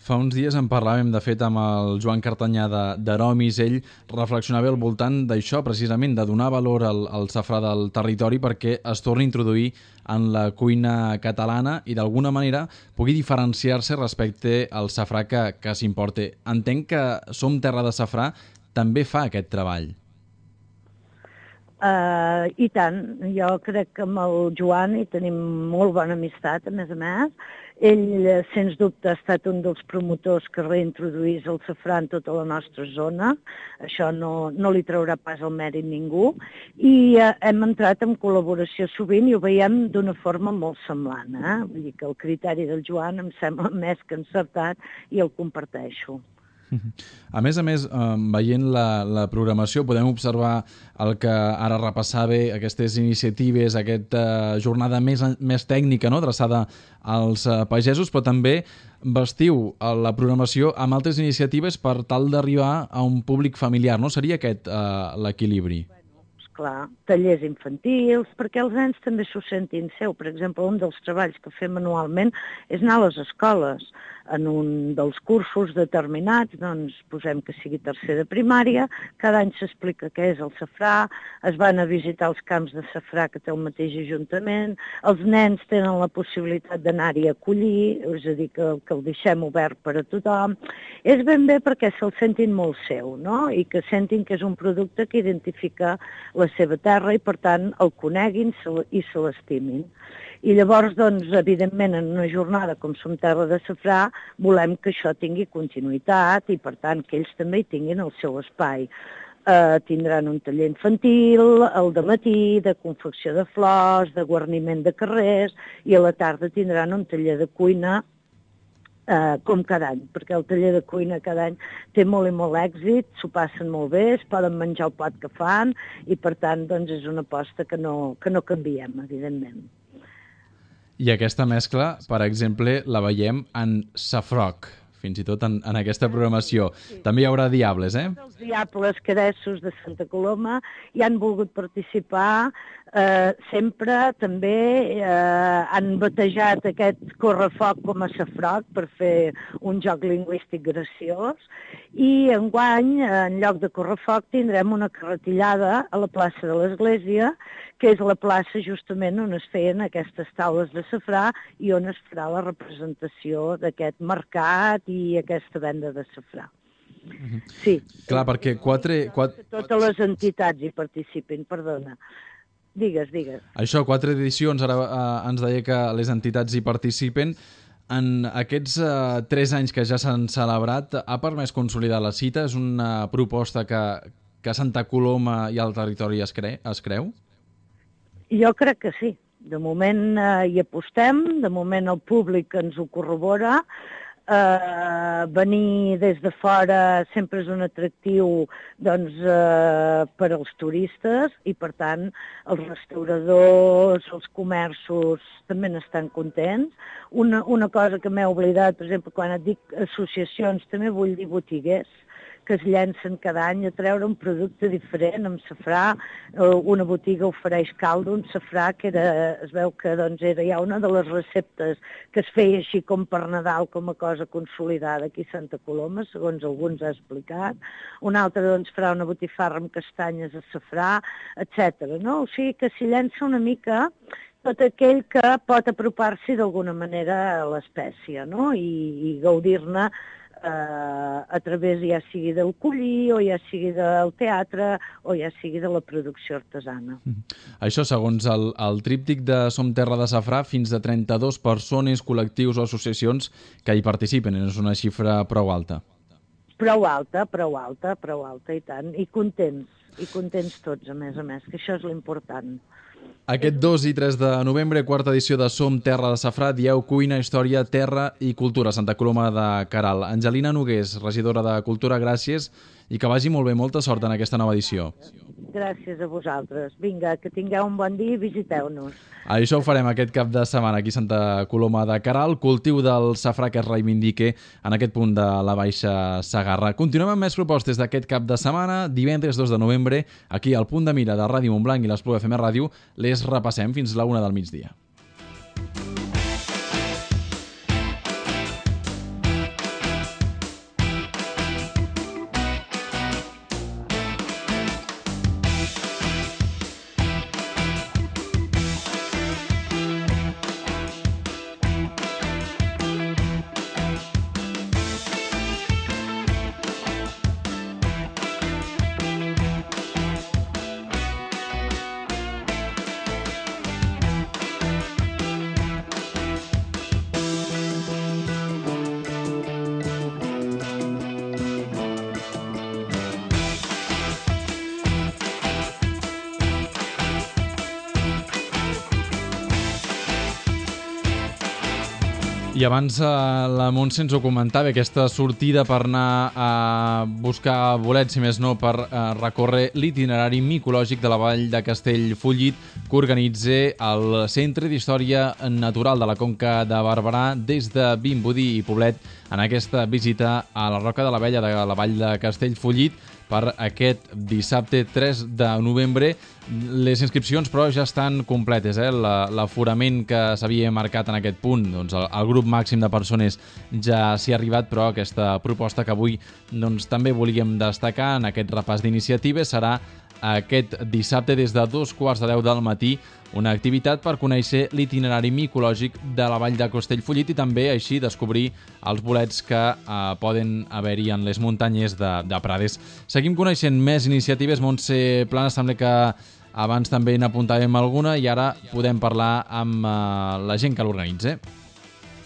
Fa uns dies en parlàvem, de fet, amb el Joan Cartanyà d'Aromis. Ell reflexionava al voltant d'això, precisament, de donar valor al, al safrà del territori perquè es torni a introduir en la cuina catalana i d'alguna manera pugui diferenciar-se respecte al safrà que, que s'importa. Entenc que Som Terra de Safrà també fa aquest treball. Uh, I tant, jo crec que amb el Joan hi tenim molt bona amistat, a més a més. Ell, sens dubte, ha estat un dels promotors que reintroduís el safrà en tota la nostra zona. Això no, no li traurà pas el mèrit ningú. I uh, hem entrat en col·laboració sovint i ho veiem d'una forma molt semblant. Eh? Vull dir que el criteri del Joan em sembla més que encertat i el comparteixo. A més a més, veient la, la programació, podem observar el que ara repassava, aquestes iniciatives, aquesta jornada més, més tècnica, no?, adreçada als pagesos, però també vestiu la programació amb altres iniciatives per tal d'arribar a un públic familiar, no? Seria aquest uh, l'equilibri? Clar, tallers infantils, perquè els nens també s'ho sentin seu. Per exemple, un dels treballs que fem anualment és anar a les escoles. En un dels cursos determinats, doncs posem que sigui tercer de primària, cada any s'explica què és el safrà, es van a visitar els camps de safrà que té el mateix ajuntament, els nens tenen la possibilitat d'anar-hi a collir, és a dir, que, que el deixem obert per a tothom. És ben bé perquè se'l sentin molt seu, no?, i que sentin que és un producte que identifica la seva terra i, per tant, el coneguin i se l'estimin. I llavors, doncs, evidentment, en una jornada com Som Terra de Safrà, volem que això tingui continuïtat i, per tant, que ells també hi tinguin el seu espai. Eh, tindran un taller infantil, el dematí, de confecció de flors, de guarniment de carrers, i a la tarda tindran un taller de cuina eh, com cada any, perquè el taller de cuina cada any té molt i molt èxit, s'ho passen molt bé, es poden menjar el plat que fan, i, per tant, doncs, és una aposta que no, que no canviem, evidentment. I aquesta mescla, per exemple, la veiem en Safroc, fins i tot en, en aquesta programació. Sí. També hi haurà diables, eh? Els diables cadessos de Santa Coloma hi han volgut participar, eh, sempre també eh, han batejat aquest correfoc com a Safroc per fer un joc lingüístic graciós, i enguany, en lloc de correfoc, tindrem una carretillada a la plaça de l'Església, que és la plaça justament on es feien aquestes taules de safrà i on es farà la representació d'aquest mercat i aquesta venda de safrà. Sí. Clar, perquè quatre... quatre... Totes les entitats hi participin, perdona. Digues, digues. Això, quatre edicions, ara eh, ens deia que les entitats hi participen. En aquests eh, tres anys que ja s'han celebrat, ha permès consolidar la cita? És una proposta que, que Santa Coloma i el territori es, cre es creu? Jo crec que sí. De moment eh, hi apostem, de moment el públic ens ho corrobora. Eh, venir des de fora sempre és un atractiu, doncs, eh, per als turistes, i, per tant, els restauradors, els comerços també n'estan contents. Una, una cosa que m'he oblidat, per exemple, quan et dic associacions, també vull dir botiguers, que es llencen cada any a treure un producte diferent amb safrà. Una botiga ofereix caldo amb safrà, que era, es veu que doncs, era ja una de les receptes que es feia així com per Nadal, com a cosa consolidada aquí a Santa Coloma, segons alguns ha explicat. Una altra doncs, farà una botifarra amb castanyes a safrà, etcètera. No? O sigui que s'hi llença una mica tot aquell que pot apropar-s'hi d'alguna manera a l'espècie, no? I, i gaudir-ne a través ja sigui del collir o ja sigui del teatre o ja sigui de la producció artesana. Això, segons el, el tríptic de Som Terra de Safrà, fins de trenta-dues persones, col·lectius o associacions que hi participen. És una xifra prou alta. Prou alta, prou alta, prou alta, i tant. I contents, i contents tots, a més a més, que això és l'important. Aquest dos i tres de novembre, quarta edició de Som Terra de Safrà, dieu cuina, història, terra i cultura, Santa Coloma de Queralt. Angelina Nogués, regidora de Cultura, gràcies i que vagi molt bé, molta sort en aquesta nova edició. Gràcies a vosaltres. Vinga, que tingueu un bon dia i visiteu-nos. Això ho farem aquest cap de setmana aquí a Santa Coloma de Queralt, cultiu del safrà que es reivindique en aquest punt de la Baixa Segarra. Continuem amb més propostes d'aquest cap de setmana. Divendres dos de novembre, aquí al Punt de Mira de Ràdio Montblanc i l'Espluga F M Ràdio, les repassem fins la una del migdia. I abans eh, la Montse ens ho comentava, aquesta sortida per anar a buscar bolets, si més no, per eh, recórrer l'itinerari micològic de la vall de Castellfollit que organitza el Centre d'Història Natural de la Conca de Barberà des de Vimbodí i Poblet en aquesta visita a la Roca de l'Abella de la vall de Castellfollit per aquest dissabte tres de novembre. Les inscripcions, però, ja estan completes. Eh? L'aforament que s'havia marcat en aquest punt, doncs el, el grup màxim de persones ja s'hi ha arribat, però aquesta proposta que avui doncs, també volíem destacar en aquest repàs d'iniciatives serà aquest dissabte des de dos quarts de deu del matí, una activitat per conèixer l'itinerari micològic de la vall de Castellfollit i també així descobrir els bolets que eh, poden haver-hi en les muntanyes de, de Prades. Seguim coneixent més iniciatives. Montse Plana, sembla que abans també n'apuntàvem alguna i ara podem parlar amb eh, la gent que l'organitza.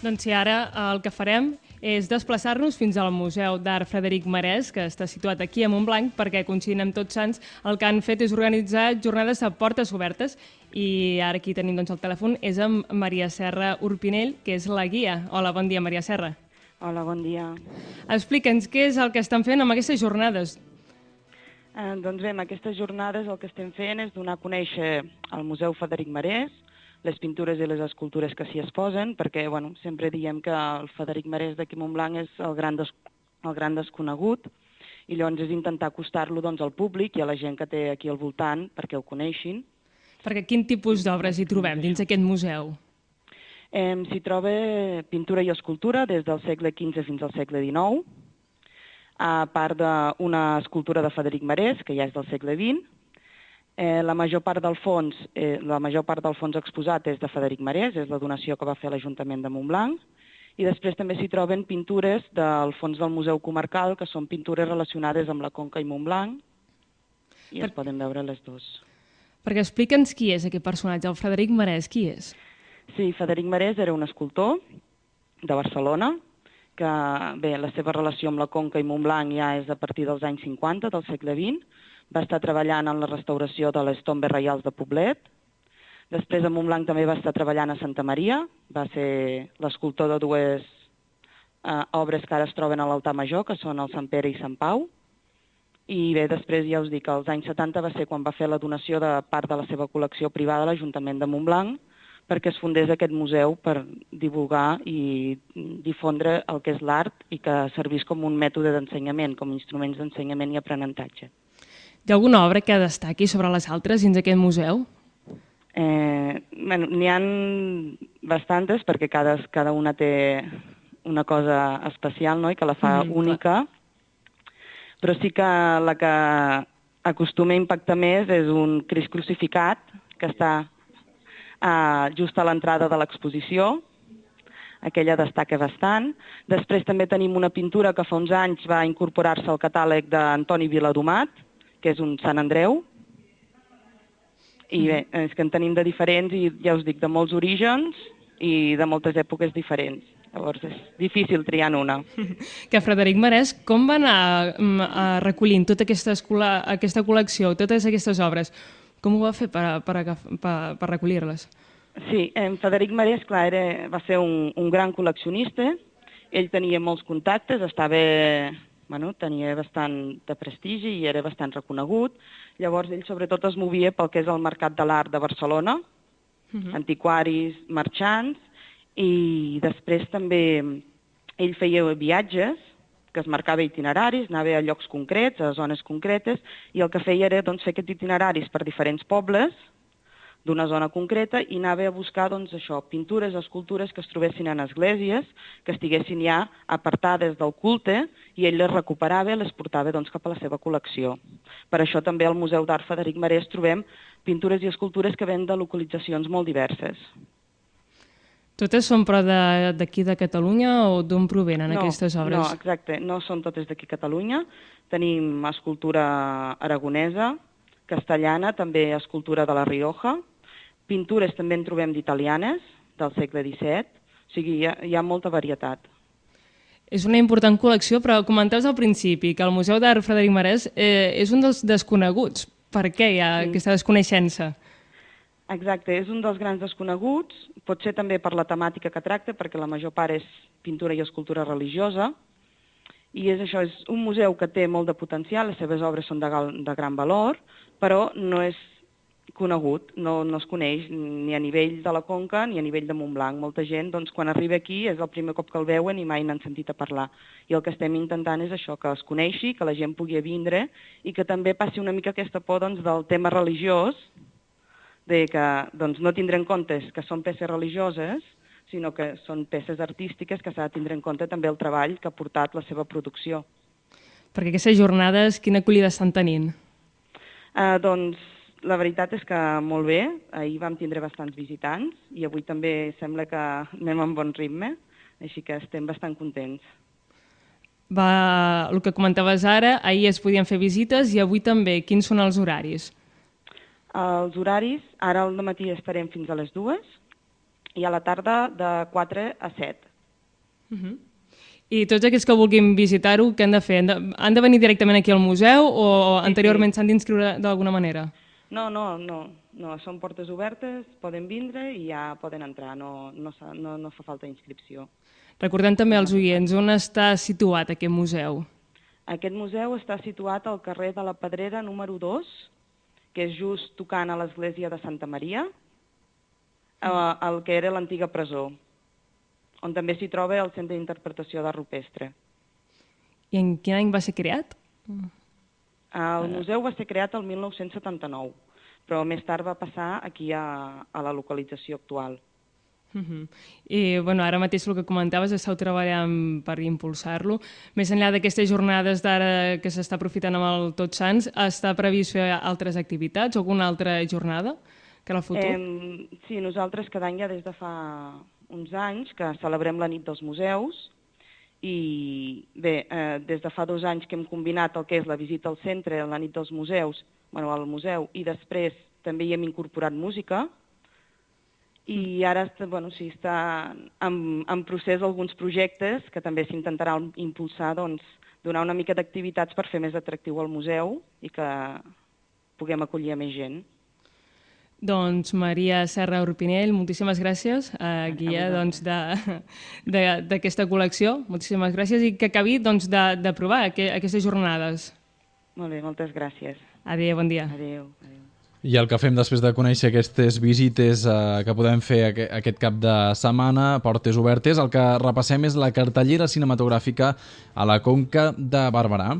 Doncs sí, ara el que farem és desplaçar-nos fins al Museu d'Art Frederic Marès, que està situat aquí a Montblanc, perquè coincidint amb Tots Sants el que han fet és organitzar jornades a portes obertes. I ara aquí tenim doncs, el telèfon, és amb Maria Serra Urpinell, que és la guia. Hola, bon dia, Maria Serra. Hola, bon dia. Explica'ns què és el que estan fent amb aquestes jornades. Eh, doncs bé, amb aquestes jornades el que estem fent és donar a conèixer el Museu Frederic Marès, les pintures i les escultures que s'hi exposen, perquè bueno, sempre diem que el Frederic Marès d'aquí a Montblanc és el gran, des, el gran desconegut, i llavors és intentar acostar-lo doncs, al públic i a la gent que té aquí al voltant perquè ho coneixin. Perquè quin tipus d'obres hi trobem dins aquest museu? Eh, s'hi troba pintura i escultura des del segle quinze fins al segle dinou, a part d'una escultura de Frederic Marès, que ja és del segle vint. Eh, la major part del fons, eh, la major part del fons exposat és de Frederic Marès, és la donació que va fer l'Ajuntament de Montblanc, i després també s'hi troben pintures del fons del Museu Comarcal, que són pintures relacionades amb la Conca i Montblanc, i per... es poden veure les dues. Perquè explica'ns qui és aquest personatge, el Frederic Marès, qui és? Sí, Frederic Marès era un escultor de Barcelona, que bé, la seva relació amb la Conca i Montblanc ja és a partir dels anys cinquanta del segle vint, va estar treballant en la restauració de les tombes reials de Poblet. Després a Montblanc també va estar treballant a Santa Maria, va ser l'escultor de dues eh, obres que ara es troben a l'altar major, que són el Sant Pere i Sant Pau. I bé, després ja us dic, als anys setanta va ser quan va fer la donació de part de la seva col·lecció privada a l'Ajuntament de Montblanc, perquè es fundés aquest museu per divulgar i difondre el que és l'art i que servís com un mètode d'ensenyament, com instruments d'ensenyament i aprenentatge. Hi ha alguna obra que destaqui sobre les altres dins aquest museu? Eh, bueno, n'hi ha bastantes perquè cada, cada una té una cosa especial, no?, i que la fa mm, única, clar. Però sí que la que acostuma a impactar més és un Crist crucificat que està eh, just a l'entrada de l'exposició. Aquella destaca bastant. Després també tenim una pintura que fa uns anys va incorporar-se al catàleg d'Antoni Viladomat, que és un Sant Andreu, i bé, és que en tenim de diferents i ja us dic, de molts orígens i de moltes èpoques diferents. Llavors és difícil triar en una. Que Frederic Marès, com va anar a recollint tota aquesta, aquesta col·lecció, totes aquestes obres? Com ho va fer per, per, per, per recollir-les? Sí, en Frederic Marès, clar, era, va ser un, un gran col·leccionista. Ell tenia molts contactes, estava, bueno, tenia bastant de prestigi i era bastant reconegut. Llavors ell sobretot es movia pel que és el mercat de l'art de Barcelona, uh-huh. antiquaris, marxants, i després també ell feia viatges, que es marcava itineraris, anava a llocs concrets, a zones concretes, i el que feia era doncs, fer aquests itineraris per diferents pobles d'una zona concreta i anava a buscar doncs, això, pintures, escultures que es trobessin en esglésies, que estiguessin ja apartades del culte, i ell les recuperava i les portava doncs, cap a la seva col·lecció. Per això també al Museu d'Art Frederic Marès trobem pintures i escultures que venen de localitzacions molt diverses. Totes són però d'aquí de, de Catalunya o d'on provenen no, aquestes obres? No, exacte, no són totes d'aquí a Catalunya. Tenim escultura aragonesa, castellana, també escultura de la Rioja, pintures també en trobem d'italianes, del segle disset, o sigui, hi ha, hi ha molta varietat. És una important col·lecció, però comentaves al principi que el Museu d'Art Frederic Marès eh, és un dels desconeguts. Per què hi ha sí. aquesta desconeixença? Exacte, és un dels grans desconeguts, pot ser també per la temàtica que tracta, perquè la major part és pintura i escultura religiosa, i és això, és un museu que té molt de potencial, les seves obres són de, de gran valor, però no és conegut, no, no es coneix ni a nivell de la Conca ni a nivell de Montblanc. Molta gent, doncs, quan arriba aquí és el primer cop que el veuen i mai n'han sentit a parlar. I el que estem intentant és això, que es coneixi, que la gent pugui vindre i que també passi una mica aquesta por doncs, del tema religiós, de que doncs, no tindre en compte que són peces religioses, sinó que són peces artístiques que s'ha de tindre en compte també el treball que ha portat la seva producció. Perquè aquestes jornades, quina acollida estan tenint? Uh, doncs la veritat és que molt bé, ahir vam tindre bastants visitants i avui també sembla que anem en bon ritme, així que estem bastant contents. Va, el que comentaves ara, ahir es podien fer visites i avui també. Quins són els horaris? Els horaris, ara al matí estarem fins a les dues i a la tarda de quatre a set. Uh-huh. I tots aquells que vulguin visitar-ho, què han de fer? Han de, han de venir directament aquí al museu o anteriorment s'han d'inscriure d'alguna manera? No, no, no, no, són portes obertes, poden vindre i ja poden entrar, no, no, no, no fa falta inscripció. Recordem també als oients, on està situat aquest museu? Aquest museu està situat al carrer de la Pedrera número dos, que és just tocant a l'església de Santa Maria, el que era l'antiga presó, on també s'hi troba el Centre d'Interpretació d'Art Rupestre. I en quin any va ser creat? El museu va ser creat el mil nou-cents setanta-nou, però més tard va passar aquí a, a la localització actual. Uh-huh. I bueno, ara mateix el que comentaves, esteu treballant per impulsar-lo. Més enllà d'aquestes jornades d'ara que s'està aprofitant amb el Tots Sants, està previst fer altres activitats o alguna altra jornada que en el futur? Eh, sí, nosaltres cada any ja des de fa uns anys que celebrem la nit dels museus i bé, eh, des de fa dos anys que hem combinat el que és la visita al centre, la nit dels museus, bueno, al museu, i després també hi hem incorporat música. I ara bueno, sí, està en, en procés alguns projectes que també s'intentaran impulsar, doncs, donar una mica d'activitats per fer més atractiu el museu i que puguem acollir a més gent. Doncs Maria Serra Urpinell, moltíssimes gràcies, eh, guia doncs, d'aquesta col·lecció. Moltíssimes gràcies i que acabi doncs, de, de provar aqu aquestes jornades. Molt bé, moltes gràcies. Adéu, bon dia. Adéu, adéu. I el que fem després de conèixer aquestes visites eh, que podem fer aquest cap de setmana, portes obertes, el que repassem és la cartellera cinematogràfica a la Conca de Barberà.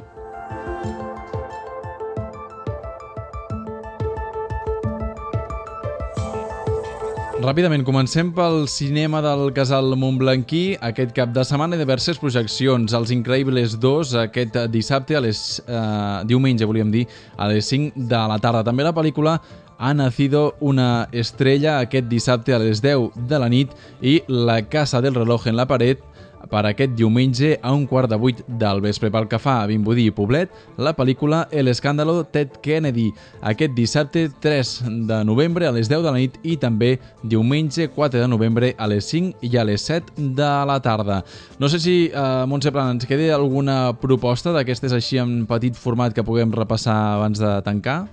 Ràpidament, comencem pel cinema del Casal Montblanquí. Aquest cap de setmana hi ha diverses projeccions. Els Increïbles dos, aquest dissabte, a les, eh, diumenge, volíem dir, a les cinc de la tarda. També la pel·lícula Ha nacido una estrella, aquest dissabte a les deu de la nit, i La casa del reloj en la paret, per aquest diumenge a un quart de vuit del vespre. Pel que fa a Vimbodí i Poblet, la pel·lícula El escàndalo Ted Kennedy, aquest dissabte tres de novembre a les deu de la nit i també diumenge quatre de novembre a les cinc i a les set de la tarda. No sé si, eh, Montse Plana, ens queda alguna proposta d'aquestes així en petit format que puguem repassar abans de tancar?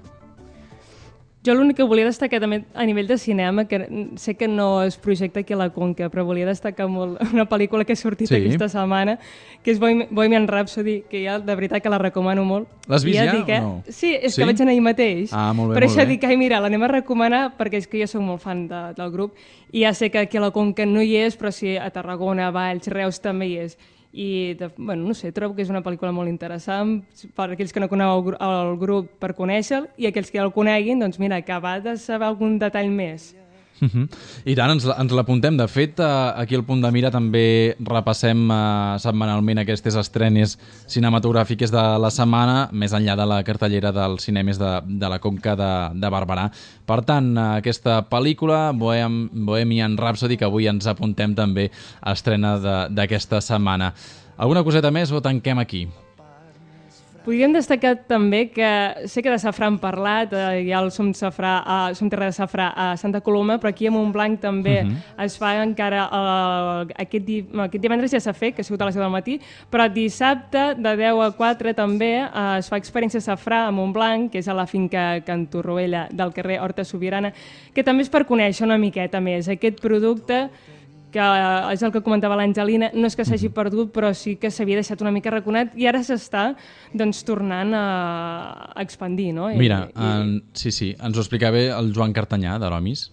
Jo l'únic que volia destacar també a nivell de cinema, que sé que no es projecta aquí a la Conca, però volia destacar molt una pel·lícula que ha sortit sí. aquesta setmana, que és Bohemian Rhapsody, que ja de veritat que la recomano molt. L'has vist ja, ja dic, eh? o no? Sí, és sí? que vaig anar ahir mateix. Ah, molt bé, per molt això bé. dic, ai, mira, l'anem a recomanar perquè és que jo soc molt fan de, del grup i ja sé que aquí a la Conca no hi és, però sí a Tarragona, Valls, Reus també hi és. I, de, bueno, no sé, trobo que és una pel·lícula molt interessant per aquells que no coneu el, el grup per conèixer-lo i aquells que ja el coneguin, doncs mira, acabar de saber algun detall més. Uh-huh. I tant, ens, ens l'apuntem. De fet, aquí al Punt de Mira també repassem uh, setmanalment aquestes estrenes cinematogràfiques de la setmana, més enllà de la cartellera dels cinemes de, de la Conca de, de Barberà. Per tant, aquesta pel·lícula, Bohem, Bohemian Rhapsody, que avui ens apuntem també a estrena d'aquesta setmana. Alguna coseta més o tanquem aquí? Podríem destacar també que sé que de safrà hem parlat, eh, hi ha el Som, safrà, eh, Som Terra de Safrà a Santa Coloma, però aquí a Montblanc també uh -huh. es fa encara, eh, aquest, di aquest divendres ja s'ha fet, que ha sigut a les deu del matí, però dissabte de deu a quatre també eh, es fa experiència safrà a Montblanc, que és a la finca Can Torroella del carrer Horta Sobirana, que també és per conèixer una miqueta més aquest producte, que és el que comentava l'Angelina, no és que s'hagi perdut, però sí que s'havia deixat una mica raconat i ara s'està doncs, tornant a expandir. No? I, Mira, i... en, sí, sí, ens ho explicava el Joan Cartanyà, d'Aromis.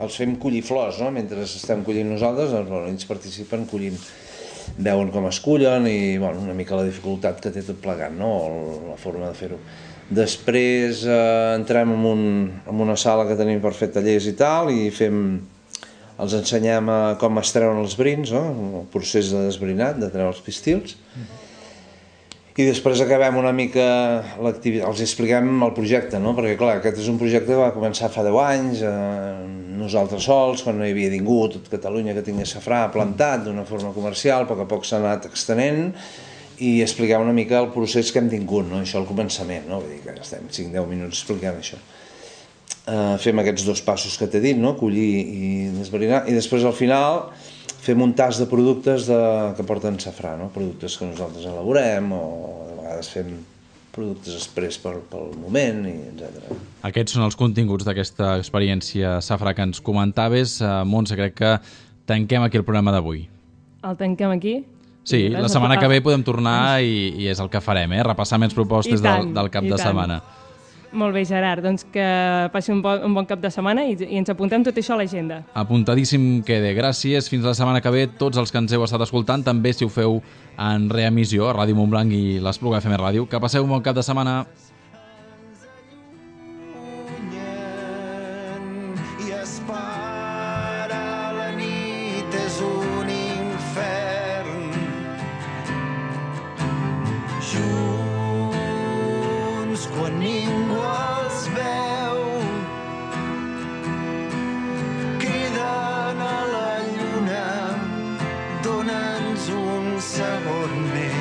Els fem collir flors, no? Mentre estem collint nosaltres, doncs, bueno, ells participen collint, veuen com es cullen i bueno, una mica la dificultat que té tot plegat, no? La forma de fer-ho. Després eh, entrem en, un, en una sala que tenim per fer tallers i tal i fem... els ensenyem a com es treuen els brins, no? El procés de desbrinat, de treure els pistils. I després acabem una mica l'activitat, els expliquem el projecte, no? Perquè clar, aquest és un projecte que va començar fa deu anys, eh, nosaltres sols, quan no hi havia ningú, tot Catalunya que tingués safrà plantat d'una forma comercial, a poc a poc s'ha anat extenent i expliquem una mica el procés que hem tingut, no? Això al començament, no? Vull dir que estem cinc a deu minuts explicant això. Uh, fem aquests dos passos que t'he dit, no? Collir i desverinar, i després al final fem un tas de productes de, que porten safrà, no? Productes que nosaltres elaborem o de vegades fem productes express pel, pel moment, i etcètera. Aquests són els continguts d'aquesta experiència safrà que ens comentaves. Uh, Montse, crec que tanquem aquí el programa d'avui. El tanquem aquí? Sí, la setmana que ve podem tornar i, i és el que farem, eh? Repassar més propostes tant, del, del cap de tant. setmana. Molt bé, Gerard, doncs que passi un bon, un bon cap de setmana i, i ens apuntem tot això a l'agenda. Apuntadíssim quede. Gràcies. Fins la setmana que ve. Tots els que ens heu estat escoltant, també si ho feu en reemissió a Ràdio Montblanc i l'Espluga F M Ràdio. Que passeu un bon cap de setmana. I espera, la nit és un infern. Junts, quan ningú els veu, criden a la lluna, dona'ns un segon més.